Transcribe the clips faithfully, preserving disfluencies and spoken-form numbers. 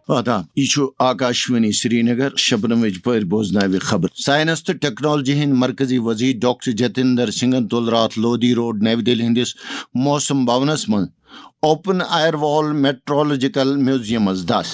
آداب، یہِ چھُ آکاشوانی سرینگر۔ شبنمٕچ پٲرۍ بوزناوِ خبر۔ ساینس تہٕ ٹیکنالوجی ہٕنٛدۍ مرکزی وزیر ڈاکٹر جتیندر سنگھن تُل راتھ لودھی روڈ نَوِ دِلہِ ہٕنٛدِس موسم بھونس منٛز اوپن ایئر وال میٹرولوجیکل میوزیمس دَس۔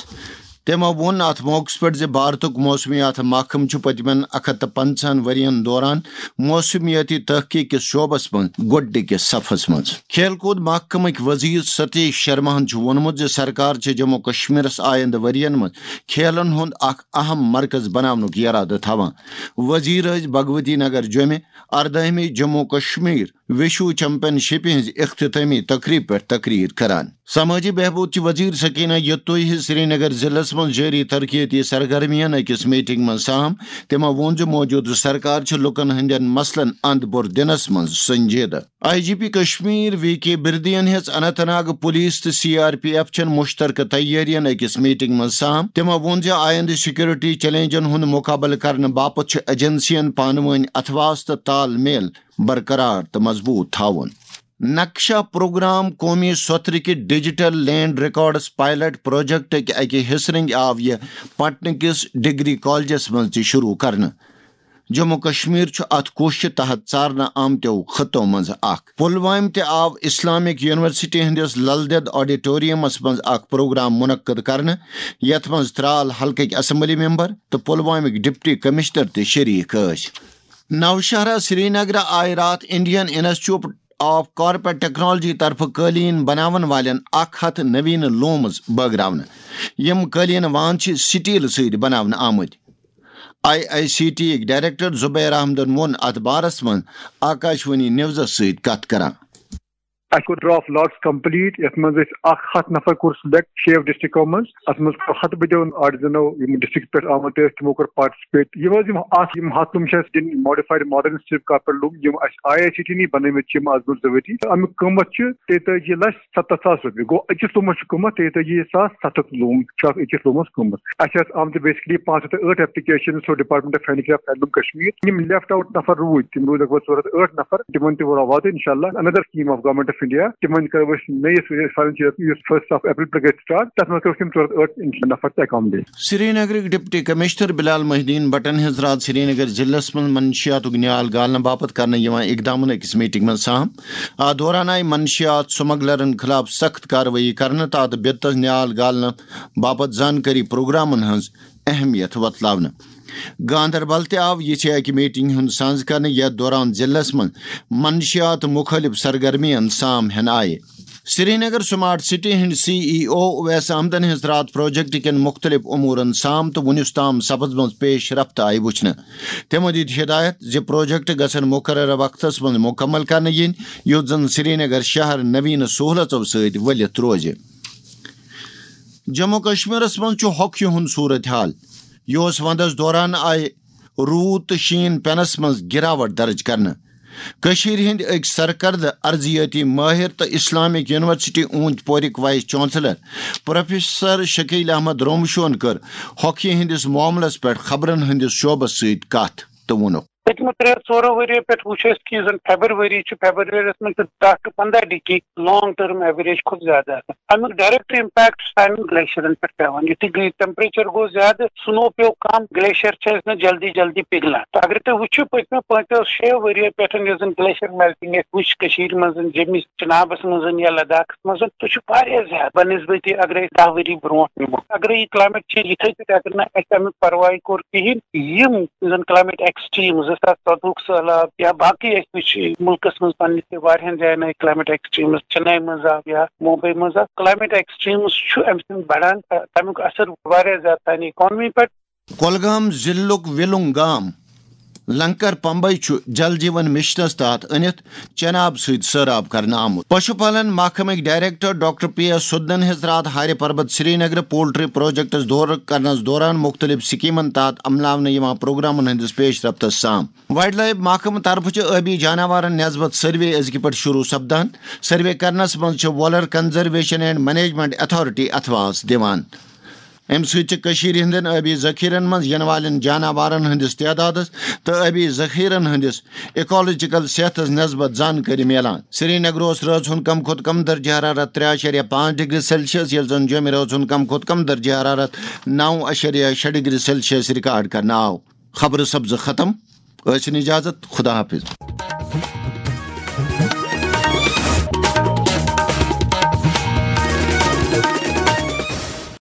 تٔمۍ ووٚن اتھ موقعس پٮ۪ٹھ زِ بھارتُک موسمیات محکمہٕ چھُ پٔتمٮ۪ن اکھ ہتھ تہٕ پنٛژاہن ؤرین دوران موسمیٲتی تحقیق کِس شعبس منٛز گۄڈٕنِکِس صفس منٛز۔ کھیل کوٗد محکمٕکۍ وزیر ستیش شرماہن چھُ ووٚنمُت زِ سرکار چھِ جموں کشمیرس آیندٕ ؤرین منٛز کھیلن ہُنٛد اکھ اہم مرکز بناونُک ارادٕ تھاوان۔ وزیر ٲسۍ بھگوتی نگر جوٚمہِ اردٲہمہِ جموں کشمیر وشو چیمپین شپہِ ہٕنٛزِ اختتٲمی تقریبہِ پٮ۪ٹھ تقریر کران۔ سمٲجی بہبود چہِ وزیر سکینہ یتوئی ہٕنٛز سرینگر ضلعس منٛز جٲری ترقیتی سرگرمین أکِس میٹنگ منٛز سام۔ تٔمۍ ووٚن زِ موجودٕ سرکار چھِ لوٗکن ہٕنٛدٮ۪ن مسلن اند بور دِنس منٛز سنجیدٕ۔ I G P Kashmir V K بردین ہیٚژ اننت ناگ پولیس تہٕ سی آر پی ایف چٮ۪ن مشترکہٕ تیٲرین أکِس میٹنگ منٛز سام۔ تٔمۍ ووٚن زِ آیندٕ سیکورٹی چیلنجن ہُنٛد مقابلہٕ کرنہٕ باپتھ چھُ ایجنسین پانہٕ وٲنۍ اتھواس تہٕ تال میل برقرار تہٕ مضبوط تھاوُن۔ نقشہ پروگرام قومی سوترٕکہِ ڈیجیٹل لینڈ ریکارڈز پائلٹ پروجیکٹٕکۍ اکہِ حصہٕ رٔنگۍ آو یہِ پٹنہٕ کِس ڈگری کالجس منٛز تہِ شروع کرنہٕ۔ جموں کشمیر چھُ اتھ کوششہِ تحت ژارنہٕ آمتیو خطو منٛز اکھ۔ پلوامہِ تہِ آو اسلامک یونیورسٹی ہٕنٛدِس لل دٮ۪د آڈیٹوریمس منٛز اکھ پروگرام منعقد کرنہٕ، یتھ منٛز ترال حلقٕکۍ اسمبلی ممبر تہٕ پلوامٕکۍ ڈپٹی کمشنر تہِ شریک ٲسۍ۔ نوشہرہ سرینگرٕ آیہِ راتھ Indian institute of carpet technology طرفہٕ قٲلیٖن بناون والٮ۪ن اکھ ہتھ نویٖنہٕ لومز بٲگراونہٕ۔ یِم قٲلیٖن وان چھِ سٹیل سۭتۍ بناونہٕ آمٕتۍ۔ آئی آئی سی ٹی یِکۍ ڈائریکٹر زبیر احمدن ووٚن اتھ بارس منٛز آکاشوانی نیوزس سۭتۍ کتھ کران۔ اَسہِ کوٚر ڈراپ لاٹس کمپلیٹ، یَتھ منٛز اَسہِ اکھ ہتھ نفر کوٚر سلیکٹ شیٚیو ڈسٹرکٹو منٛز۔ اَتھ منٛز کوٚر ہتہٕ بٔدیو آرٹزنو، یِم ڈسٹرکٹ پٮ۪ٹھ آمٕتۍ ٲسۍ، تِمو کوٚر پارٹیسپیٹ۔ یِم حظ یِم اَتھ، یِم ہتھ لوٗم چھِ اَسہِ دِنۍ ماڈیفایڈ ماڈرن سٹریپ کارپیٹ لوٗم، یِم اَسہِ آئی آئی سی ٹی نی بنٲومٕتۍ چھِ یِم آز برونٛٹھ زٕ ؤری۔ اَمیُک قۭمتھ چھُ تیٚتٲجی لچھ ستتھ ساس رۄپیہِ۔ گوٚو أکِس لوٗمس چھُ قۭمتھ تیٚتٲجی ساس ستتھ لوٗم چھُ اَتھ أکِس لوٗمس قۭمتھ۔ اَسہِ آسہٕ آمژٕ بیسکلی پانٛژھ ہتھ تہٕ ٲٹھ application through department of handy craft handloom Kashmir. یِم لیفٹ آوُٹ نفر روٗدۍ، تِم روٗدۍ لگ بگ ژور ہتھ ٲٹھ نفر۔ تِمن تہِ واتو انشاءاللہ another scheme of government of India. تِمن کرو أسۍ نٔیِس فاینانشل یس فرسٹ آف اپریل پٮ۪ٹھ گژھِ سٹارٹ، تتھ منٛز کرو أسۍ یِم ژور ہتھ ٲٹھ نفر تہِ اکامڈیٹ۔ سرینگرٕکۍ ڈپٹی کمشنر بلال محی الدین بٹن ہیٚژ راتھ سرینگر ضلعس منٛز منشیاتُک نیال گالنہٕ باپتھ کرنہٕ یِوان اقدامن أکِس میٹنگ منٛز سام۔ اتھ دوران آیہِ منشیات سمگلرن خلاف سخت کاروٲیی کرنہٕ تہٕ اتھ بدعتس نیال گالنہٕ باپتھ زانکٲری پروگرامن ہٕنٛز اہمیت وۄتلاونہٕ۔ گاندربل تہِ آو یِژھے اکہِ میٹنگ ہُنٛد سنز کرنہٕ، یتھ دوران ضلعس منٛز منشیات مُخٲلف سرگرمیَن سام ہٮ۪نہٕ آیہِ۔ سرینگر سمارٹ سٹی ہٕنٛدۍ سی ای او اویس احمدن ہیٚژ راتھ پروجیکٹ کٮ۪ن مُختٔلِف امورن سام تہٕ وُنیُس تام سپٕزمٕژ پیش رفت آیہِ وُچھنہٕ۔ تٔمۍ دِتۍ ہدایت زِ پروجیکٹ گژھن مقررہ وقتس منٛز مُکمل کرنہٕ یِنۍ، یُتھ زن سرینگر شہر نویٖنہٕ سہولژو سۭتۍ ؤلِتھ روزِ۔ جموں کشمیرس منٛز چھُ ہوکھہِ ہُنٛد صورت حال۔ یہِ اوس ونٛدس دوران آیہِ روٗد تہٕ شیٖن پینس منٛز گراوٹ درج کرنہٕ۔ کٔشیٖرِ ہٕنٛدۍ أکۍ سرکردٕ ارضیٲتی مٲہِر تہٕ اسلامک یونیورسٹی اوٗنتۍ پورٕکۍ vice chancellor professor Shakeel Ahmad Romshoo کٔر ہوکھہِ ہٕنٛدِس معاملس پٮ۪ٹھ خبرن ہٕنٛدِس شعبس سۭتۍ کتھ تہٕ ووٚنُکھ۔ پٔتمہِ ترٛےٚ ژورو ؤرِیو پٮ۪ٹھ وٕچھ اَسہِ کہِ یُس زَن فیبرؤری چھُ، فیبرؤریَس منٛز چھِ دَہ ٹُو پنٛداہ ڈگری لانگ ٹرم ایوریج کھۄتہٕ زیادٕ آسان۔ اَمیُک ڈائریکٹ امپیکٹ چھُ اَمیُک گلیشیرن پٮ۪ٹھ پٮ۪وان۔ یُتھُے ٹیمپریچر گوٚو زیادٕ، سنو پیوٚو کم، گلیشیر چھِ اَسہِ نہٕ جلدی جلدی پِگلان۔ تہٕ اگر تُہۍ وٕچھِو، پٔتمیو پانٛژو شیٚیو ؤرِیو پٮ۪ٹھ یۄس زَن گلیشیر میلٹنگ اَسہِ وٕچھ کٔشیٖرِ منٛز، جیٚمہِ چنابس منٛز یا لداخس منٛز، سُہ چھُ واریاہ زیادٕ بنسبتہِ اگر أسۍ دَہ ؤری برونٛٹھ نِمو۔ اگرے یہِ کلایمیٹ چینج یِتھے پٲٹھۍ اگر نہٕ اَسہِ اَمیُک پرواے کوٚر کِہیٖنۍ، یِم زَن کلایمیٹ ایکسٹریٖم زٕ ساس ژۄدہُک سہلاب یا باقٕے اَسہِ وٕچھ مُلکس منٛز پننِس تہِ واریاہن جاین آیہِ کلایمیٹ ایکسٹریٖمز، چنئی منٛز آو یا ممبئی منٛز آو، کلایمیٹ ایکسٹریٖمز چھُ اَمہِ سۭتۍ بڑان، تہٕ تَمیُک اثر واریاہ زیادٕ سانہِ اکانمی پٮ۪ٹھ۔ کۄلگام ضلعُک وِلُنگ گام لنکر پمبئی چھُ جل جیون مشنس تحت أنِتھ چناب سۭتۍ سٲراب کرنہٕ آمُت۔ پشو پالن محکمٕکۍ ڈائریکٹر ڈاکٹر پی ایس سُدنَن ہیٚژ راتھ ہارِ پربت سرینگرٕ پولٹری پروجیکٹس دورٕ کرنس دوران مُختٔلِف سکیمن تحت عملاونہٕ یِوان پروگرامن ہٕنٛدِس پیش رفتس سام۔ وائلڈ لائف محکمہٕ طرفہٕ چھِ ٲبی جاناوارن نسبت سروے أزکہِ پٮ۪ٹھ شروع سپدان۔ سروے کرنس منٛز چھِ Wular conservation and management authority اتھواس دِوان۔ امہِ سۭتۍ چھِ کٔشیٖرِ ہٕنٛدٮ۪ن ٲبی ذخیرن منٛز ینہٕ والٮ۪ن جاناوارن ہٕنٛدِس تعدادس تہٕ ٲبی ذخیرن ہٕنٛدِس ایکولوجیکل صحتس نسبت زانکٲری میلان۔ سرینگرٕ اوس رٲژ ہُنٛد کم کھۄتہٕ کم درجہ حرارت ترٛےٚ اَشریہ پانٛژھ ڈگری سیلسیس، ییٚلہِ زن جوٚمہِ رٲژ ہُنٛد کم کھۄتہٕ کم درجہ حرارت نَو اَشریہ شےٚ ڈگری سیلسیس ریکارڈ کرنہٕ آو۔ خبرٕ سپزٕ ختم۔ ٲسِن اجازت، خدا حافظ۔